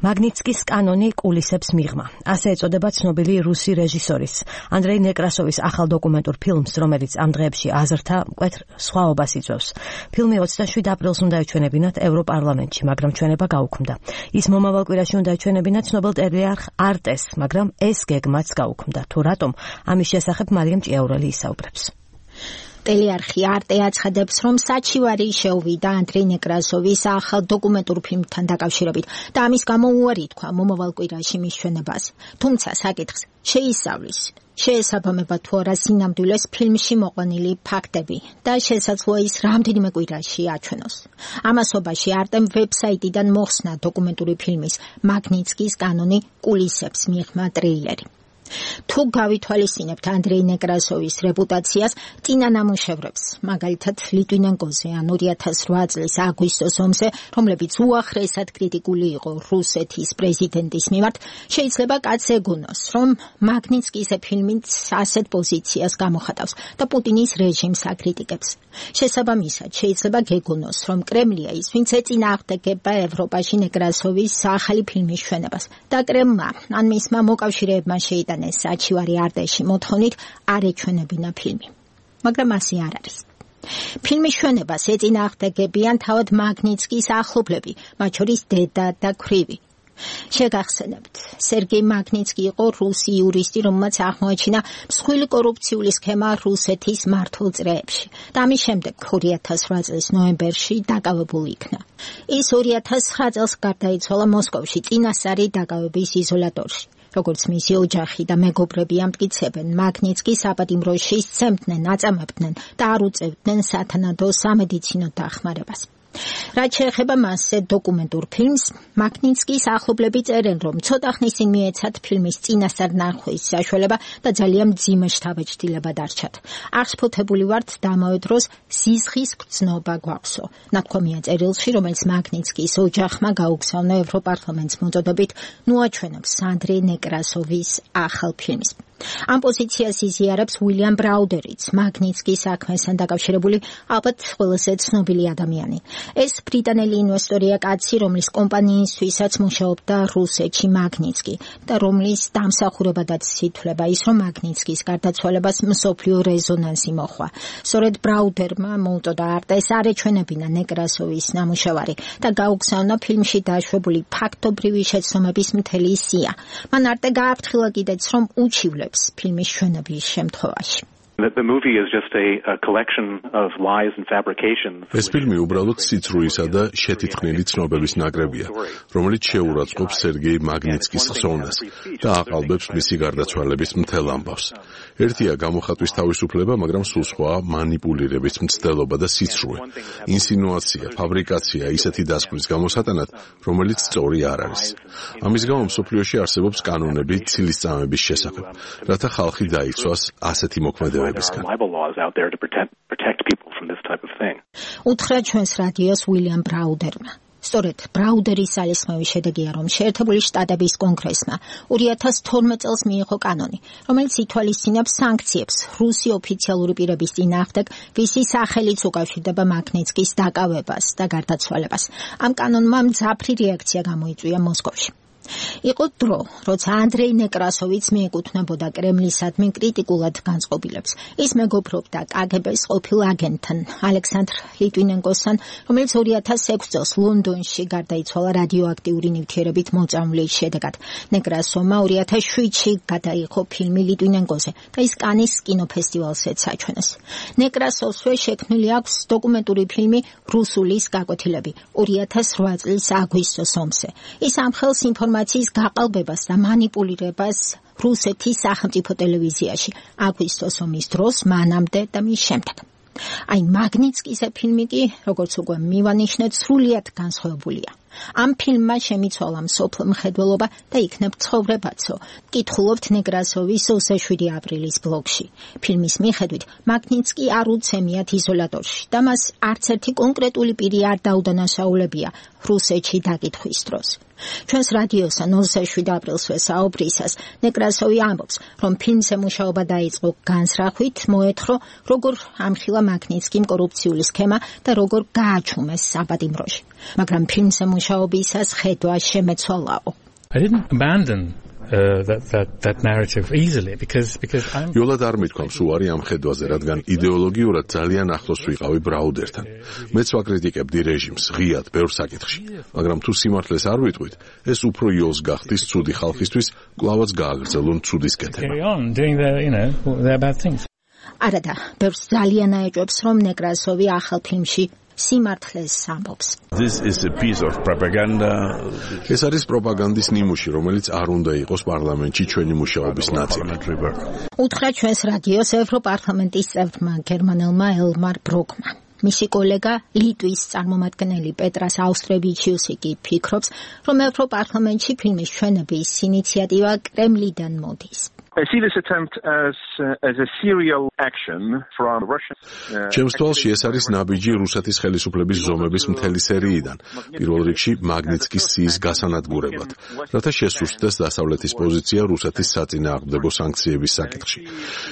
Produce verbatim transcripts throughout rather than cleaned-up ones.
მაგნიცკის კანონი კულისებს მიღმა. ასე ეწოდება ცნობილი რუსი რეჟისორის ანდრეი ნეკრასოვის ახალ დოკუმენტურ ფილმს, რომელიც ამ დღეებში აზრთა მკვეთრ სხვაობას იწვევს. ფილმი ოცდაშვიდ აპრილს უნდა ეჩვენებინათ ევროპარლამენტში, მაგრამ ჩვენება გაუქმდა. ის მომავალ კვირაში უნდა ეჩვენებინათ ცნობილ ტელეარხ არტეს, მაგრამ ეს გეგმაც გაუქმდა. თუ რატომ? ამის შესახებ მარიამ ჭიაურელი ისაუბრებს. ტელეარხი არტე აცხადებს, რომ საჩივარი შეუვიდა ანდრეი ნეკრასოვის ახალ დოკუმენტურ ფილმთან დაკავშირებით და ამის გამო უარი თქვა მომავალ კვირაში მის ჩვენებას. თუმცა საკითხს შეისწავლის, შეესაბამება თუ არა სინამდვილეს ფილმში მოყვანილი ფაქტები და შესაძლოა ის რამდენიმე კვირაში აჩვენოს. ამასობაში არტემ ვებსაიტიდან მოხსნა დოკუმენტური ფილმის მაგნიცკის კანონი კულისებს მიღმა ტრეილერი. თუ გავითვალისწინებთ ანდრეი ნეკრასოვის რეპუტაციას, წინა ნამუშევრებს, მაგალითად ლიტვინენკოზე ან ორი ათას რვა წლის აგვისტოს ომზე, რომლებიც უახლესად კრიტიკული იყო რუსეთის პრეზიდენტის მიმართ, შეიძლება კაცს ეგონოს, რომ მაგნიცკის ფილმიც ასეთ პოზიციას გამოხატავს და პუტინის რეჟიმს აკრიტიკებს. შესაბამისად, შეიძლება გეგონოს, რომ კრემლია ის, ვინც ეწინააღმდეგება ევროპაში ნეკრასოვის ახალი ფილმის ჩვენებას და კრემლმა ან მისმა მოკავშირეებმა შეიტანა საჩივარი არტეში მოთხოვნით არ ეჩვენებინა ფილმი. მაგრამ ასე არ არის. ფილმის ჩვენებას ეწინააღმდეგებიან თავად მაგნიცკის ახლობლები, მათ შორის დედა და ქვრივი. შეგახსენებთ, სერგეი მაგნიცკი იყო რუსი იურისტი, რომელმაც აღმოაჩინა მსხვილი კორუფციული სქემა რუსეთის მართულ წრეებში და ამის შემდეგ ორი ათას რვა წლის ნოემბერში დაკავებული იქნა. ის ორი ათას ცხრა წელს გარდაიცვალა მოსკოვში წინასწარი დაკავების იზოლატორში. როგორც მისი ოჯახი და მეგობრები ამტკიცებენ, მაგნიცკი საპატიმროში სცემდნენ, აწამებდნენ და არ უწევდნენ სათანადო სამედიცინო დახმარებას. რაც შეეხება მასზე დოკუმენტურ ფილმს, მაგნიცკის ახლობლები წერენ, რომ ცოტა ხნის წინ მიეცათ ფილმის წინასწარ ნახვის საშუალება და ძალიან მძიმე შთაბეჭდილება დარჩათ. აღშფოთებული ვართ და ამავე დროს სისხლის გრძნობა გვაქვსო. ნათქვამია წერილში, რომელიც მაგნიცკის ოჯახმა გაუგზავნა ევროპარლამენტს მოწოდებით, ნუ აჩვენებს ანდრეი ნეკრასოვის ახალ ფილმს. ამ პოზიციას იზიარებს უილიამ ბრაუდერიც, მაგნიცკის საქმესთან დაკავშირებული ალბათ ყველაზე ცნობილი ადამიანი. ეს ბრიტანელი ინვესტორია კაცი, რომლის კომპანიისთვისაც მუშაობდა რუსეთში მაგნიცკი და რომლის დამსახურებადაც ითვლება ის, რომ მაგნიცკის გარდაცვალებას მსოფლიო რეზონანსი მოჰყვა. სწორედ ბრაუდერმა მოუწოდა არტეს არ ეჩვენებინა ნეკრასოვის ნამუშევარი და გაუგზავნა ფილმში დაშვებული ფაქტობრივი შეცდომების მთელი სია. მან არტე გააფრთხილა კიდეც, რომ უჩივლებს ფილმის ჩვენების შემთხვევაში. The movie is just a, a collection of lies and fabrications. ეს ფილმი უბრალოდ სიცრუისა და შეთითქმული ცნობების ნაკრებია, რომელიც შეურაცხყოფს სერგეი მაგნიცკის ხსოვნას და აყალბებს მისი გარდაცვალების მთელ ამბავს. ერთია გამოხატვის თავისუფლება, მაგრამ სულ სხვაა მანიპულირების მცდელობა და სიცრუე, ინსინუაცია, ფაბრიკაცია, ისეთი დასკვნის გამოსატანად, რომელიც სწორი არ არის. ამის გამო მსოფლიოში არსებობს კანონები ცილისწამების შესახებ, რათა ხალხი დაიცვას ასეთი მოქმედებებისგან. უთხრა ჩვენს რადიოს უილიამ ბრაუდერმა. სწორედ ბრაუდერის ძალისხმევის შედეგია, რომ შეერთებული შტატების კონგრესმა ორი ათას თორმეტ წელს მიიღო კანონი, რომელიც ითვალისწინებს სანქციებს რუსი ოფიციალური პირების წინააღმდეგ, ვისი სახელიც უკავშირდება მაგნიცკის დაკავებას და გარდაცვალებას. ამ კანონმა მძაფრი რეაქცია გამოიწვია მოსკოვში. იყო დრო, როცა ანდრეი ნეკრასოვიც მიეკუთვნებოდა კრემლისადმი კრიტიკულად განწყობილებს. ის მეგობრობდა კაგებეს ყოფილ აგენტთან, ალექსანდრ ლიტვინენკოსთან, რომელიც ორი ათას ექვსი წელს ლონდონში გარდაიცვალა რადიოაქტიური ნივთიერებით მოწამვლის შედეგად. ნეკრასოვმა ორი ათას შვიდში გადაიღო ფილმი ლიტვინენკოზე და ის კანის კინოფესტივალზეც აჩვენეს. ნეკრასოვსვე შექმნილი აქვს დოკუმენტური ფილმი რუსულის გაკვეთილები ორი ათას რვა წლის აგვისტოს ომზე. ის ამხელს ინფორმაციას გაყალბებას და მანიპულირებას რუსეთის სახელმწიფო ტელევიზიაში აგვისტოს ომის დროს, მანამდე და მის შემდეგ. აი მაგნიცკის ფილმი კი, როგორც უკვე მივანიშნეთ, სრულიად განსხვავებულია. ამ ფილმმა შემიცვალა მსოფლო მხედველობა და იქნებ ცხოვრებაცო. კითხულობთ ნეკრასოვის ოცდაშვიდი აპრილის ბლოგში. ფილმის მიხედვით, მაგნიცკი არ უცემიათ იზოლატორში და მას არც ერთი კონკრეტული პირი არ დაუდანაშაულებია რუსეთში დაკითხვის დროს. ჩვენს რადიოსთან ოცდაშვიდ აპრილს ვესაუბრისას ნეკრასოვი ამბობს, რომ ფილმზე მუშაობა დაიწყო განსრახვით, მოეთხრო, როგორ ამხილა მაგნიცკიმ კორუფციული სქემა და როგორ გააჩუმეს საპატიმროში. მაგრამ ფილმზე მუშაობისას ხედვა შემეცვალაო. I didn't abandon Uh, that that that narrative easily because because I'm იოლად არ მithქვამს უარი ამ ხედვაზე, რადგან იდეოლოგიურად ძალიან ახლოს ვიყავი ბრაუდერთან. მეც ვაკრიტიკებდი რეჟიმს ღიად ბევრ საკითხში, მაგრამ თუ სიმართლეს არ ვიტყვით, ეს უფრო იოლს გახდის ცუდი ხალხისთვის, კვლავაც გააგრძელონ ცუდის კეთება. carry on doing the you know their bad things. არადა, ბევრს ძალიან აეჭვებს, რომ ნეკრასოვი ახალ ფილმში სიმართლეს ამბობს. This is a piece of propaganda. ეს არის პროპაგანდის ნიმუში, რომელიც არ უნდა იყოს პარლამენტში ჩვენი მუშაობის ნაწილი. უთხრა ჩვენს რადიოს ევროპარლამენტის წევრმა გერმანელმა ელმარ ბროკმა. მისი კოლეგა ლიტვის წარმომადგენელი პეტრას აუსტრევიჩიუსი კი ფიქრობს, რომ ევროპარლამენტში ფილმის ჩვენების ინიციატივა კრემლიდან მოდის. I see this attempt as uh, as a serial action from Russia. ჩემს თვალში ეს არის ნაბიჯი რუსეთის ხელისუფლების ზომების მთელი სერიიდან. პირველ რიგში მაგნიცკის სიის გასანადგურებლად, რათა შესუსტდეს დასავლეთის პოზიცია რუსეთის საწინააღმდეგო სანქციების საკითხში.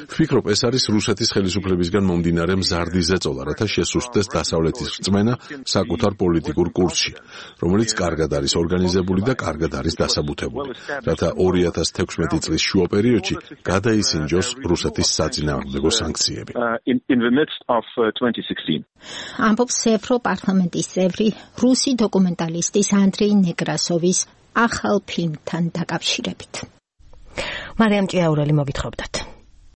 ვფიქრობ, ეს არის რუსეთის ხელისუფლებისგან მომდინარე მზარდი ზეწოლა, რათა შესუსტდეს დასავლეთის რწმენა საკუთარ პოლიტიკურ კურსში, რომელიც კარგად არის ორგანიზებული და კარგად არის დასაბუთებული, რათა ორი ათას თექვსმეტი წლის შუა პერიოდში გადაისინჯოს რუსეთის საწინააღმდეგო სანქციები. In in the midst of uh, twenty sixteen. ამბობს ევროპარლამენტის წევრი რუსი დოკუმენტალისტის ანდრეი ნეკრასოვის ახალ ფილმთან დაკავშირებით. მარიამ ჭიაურელი მოგითხრობდათ.